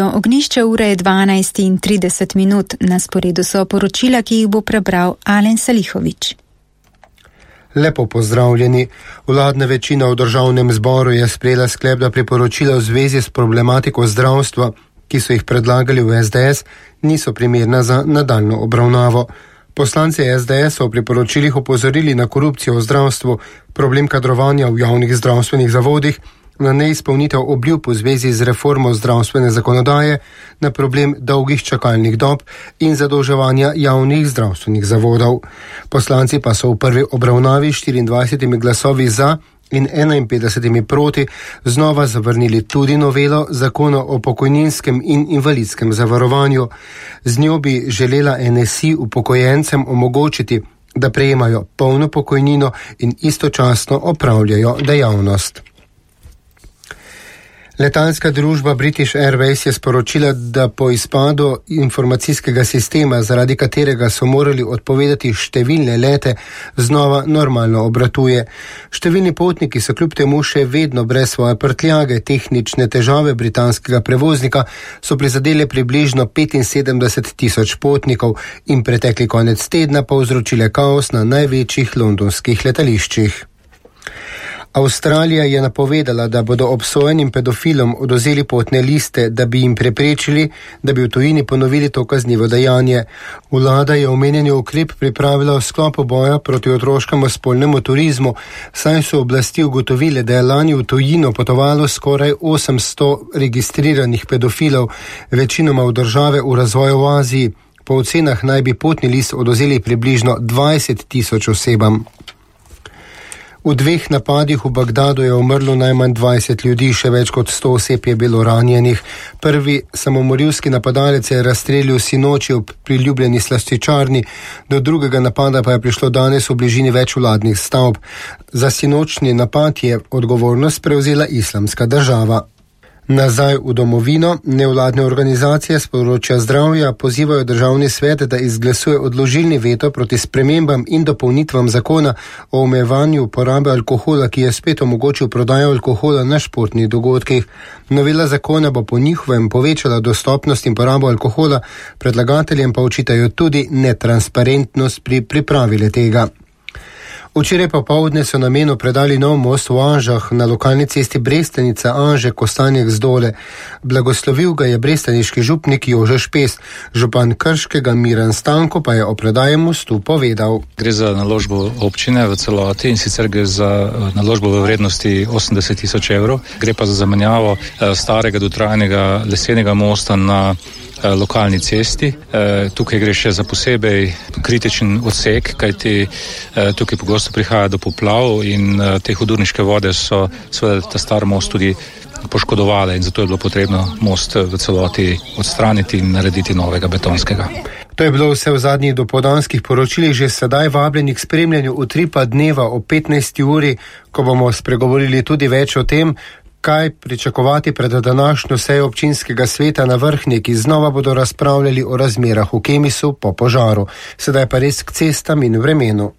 Ognišče ure je 12:30, na sporedu so poročila, ki jih bo prebral Alen Salihovič. Lepo pozdravljeni. Vladna večina v državnem zboru je sprejela sklep, da priporočila v zvezi s problematiko zdravstva, ki so jih predlagali v SDS, niso primerna za nadaljnjo obravnavo. Poslanci SDS so v priporočilih opozorili na korupcijo v zdravstvu, problem kadrovanja v javnih zdravstvenih zavodih, na neizpolnitev obljub v zvezi z reformo zdravstvene zakonodaje, na problem dolgih čakalnih dob in zadolževanja javnih zdravstvenih zavodov. Poslanci pa so v prvi obravnavi 24 glasovi za in 51 proti znova zavrnili tudi novelo zakona o pokojninskem in invalidskem zavarovanju. Z njo bi želela NSI upokojencem omogočiti, da prejemajo polno pokojnino in istočasno opravljajo dejavnost. Letalska družba British Airways je sporočila, da po izpadu informacijskega sistema, zaradi katerega so morali odpovedati številne lete, znova normalno obratuje. Številni potniki so kljub temu še vedno brez svoje prtljage. Tehnične težave britanskega prevoznika so prizadele približno 75,000 potnikov in pretekli konec tedna povzročile kaos na največjih londonskih letališčih. Avstralija je napovedala, da bodo obsojenim pedofilom odvzeli potne liste, da bi jim preprečili, da bi v tujini ponovili to kaznivo dejanje. Vlada je omenjeni ukrep pripravila v sklopu boja proti otroškemu spolnemu turizmu, saj so oblasti ugotovile, da je lani v tujino potovalo skoraj 800 registriranih pedofilov, večinoma v države v razvoju v Aziji. Po ocenah naj bi potni list odvzeli približno 20,000 osebam. V dveh napadih v Bagdadu je umrlo najmanj 20 ljudi, še več kot 100 oseb je bilo ranjenih. Prvi samomorilski napadalec je razstrelil sinoči ob priljubljeni slaščičarni, do drugega napada pa je prišlo danes v bližini več vladnih stavb. Za sinočni napad je odgovornost prevzela Islamska država. Nazaj v domovino nevladne organizacije s področja zdravja pozivajo državni svet, da izglasuje odložilni veto proti spremembam in dopolnitvam zakona o omejevanju porabe alkohola, ki je spet omogočil prodajo alkohola na športnih dogodkih. Novela zakona bo po njihovem povečala dostopnost in porabo alkohola, predlagateljem pa očitajo tudi netransparentnost pri pripravi le-tega. Včeraj popoldne so namenu predali nov most v Anžah na lokalni cesti Brestanica Anže-Kostanjek Zdole. Blagoslovil ga je brestaniški župnik Jože Špes, župan Krškega Miran Stanko pa je o predaji mostu povedal. Gre za naložbo občine v celoti in sicer gre za naložbo v vrednosti 80,000 evrov. Gre pa za zamenjavo starega dotrajanega lesenega mosta na lokalni cesti. Tukaj gre še za posebej kritičen odsek, kajti tukaj pogosto prihaja do poplav in te hudourniške vode so seveda ta star most tudi poškodovale in zato je bilo potrebno most v celoti odstraniti in narediti novega betonskega. To je bilo vse v zadnjih dopoldanskih poročilih, že sedaj vabljeni k spremljanju utripa dneva o 15. uri, ko bomo spregovorili tudi več o tem, kaj pričakovati pred današnjo sejo občinskega sveta na Vrhnje, ki znova bodo razpravljali o razmerah v Kemisu po požaru. Sedaj pa res k cestam in vremenu.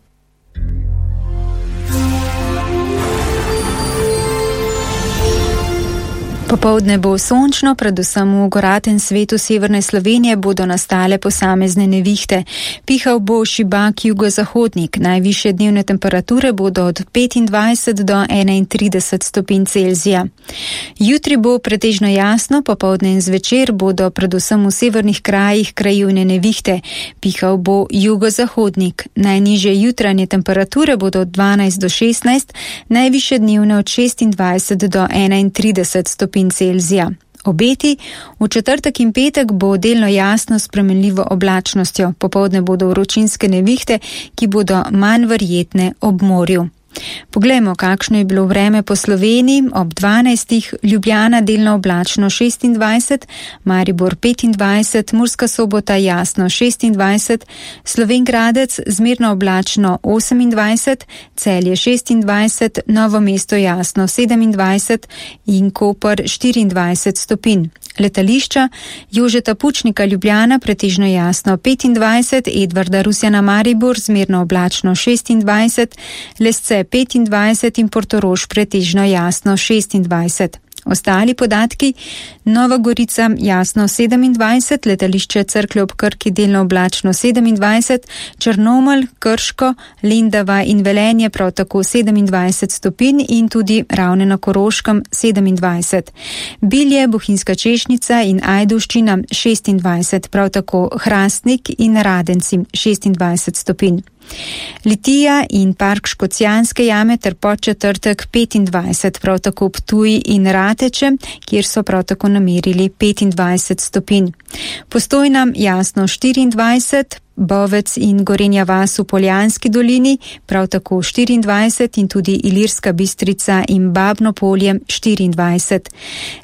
Popoldne bo sončno, predvsem v goratem svetu severne Slovenije bodo nastale posamezne nevihte. Pihal bo šibak jugozahodnik, najvišje dnevne temperature bodo od 25 do 31 stopinj Celzija. Jutri bo pretežno jasno, popoldne in zvečer bodo predvsem v severnih krajih krajevne nevihte. Pihal bo jugozahodnik, najnižje jutranje temperature bodo od 12 do 16, najvišje dnevne od 26 do 31 stopinj Celzija. Obeti v četrtek in petek bo delno jasno s spremenljivo oblačnostjo. Popoldne bodo vročinske nevihte, ki bodo manj verjetne ob morju. Poglejmo, kakšno je bilo vreme po Sloveniji. Ob 12. Ljubljana delno oblačno 26, Maribor 25, Murska Sobota jasno 26, Slovenj Gradec zmerno oblačno 28, Celje 26, Novo mesto jasno 27 in Koper 24 stopinj. Letališča Jožeta Pučnika Ljubljana pretežno jasno 25, Edvarda Rusjana Maribor zmerno oblačno 26, Lesce 25 in Portorož pretežno jasno 26. Ostali podatki: Nova Gorica jasno 27, letališče Cerklje ob Krki delno oblačno 27, Črnomelj, Krško, Lendava in Velenje prav tako 27 stopinj in tudi Ravne na Koroškem 27. Bilje, Bohinjska Češnica in Ajdovščina 26, prav tako Hrastnik in Radenci 26 stopinj. Litija in park Škocjanske jame ter Podčetrtek 25, prav tako Ptuj in Rateče, kjer so prav tako namerili 25 stopinj. Postojna jasno 24, Bovec in Gorenja vas v Poljanski dolini, prav tako 24 in tudi Ilirska Bistrica in Babno polje 24.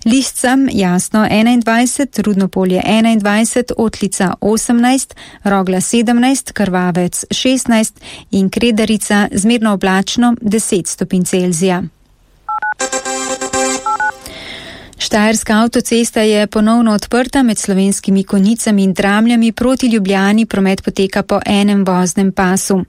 Liscam jasno 21, Rudno polje 21, Otlica 18, Rogla 17, Krvavec 16 in Kredarica zmerno oblačno 10 stopinj Celzija. Štajerska avtocesta je ponovno odprta med Slovenskimi Konjicami in Dramljami proti Ljubljani, promet poteka po enem voznem pasu.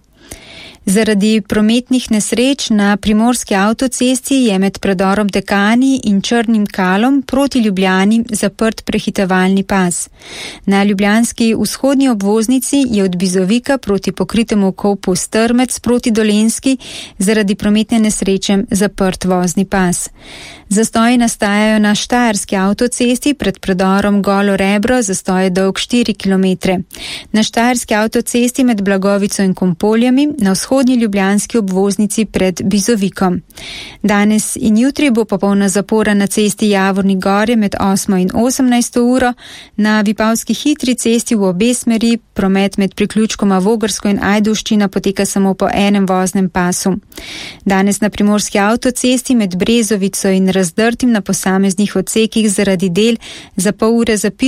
Zaradi prometnih nesreč na primorski avtocesti je med predorom Dekani in Črnim Kalom proti Ljubljani zaprt prehitevalni pas. Na ljubljanski vzhodni obvoznici je od Bizovika proti pokritemu kopu Strmec proti Dolenjski zaradi prometne nesreče zaprt vozni pas. Zastoji nastajajo na štajerski avtocesti pred predorom Golo Rebro, zastoj je dolg 4 km. Na štajerski avtocesti med Blagovico in Kompoljami, na vzhodni ljubljanski obvoznici pred Bizovikom. Danes in jutri bo popolna zapora na cesti Javornik Gorje med 8 in 18 uro, na Vipavski hitri cesti v obe smeri promet med priključkoma Vogrsko in Ajdovščina poteka samo po enem voznem pasu. Danes na primorski avtocesti med Brezovico in Razdrtim na posameznih odsekih zaradi del za pol ure zapirajo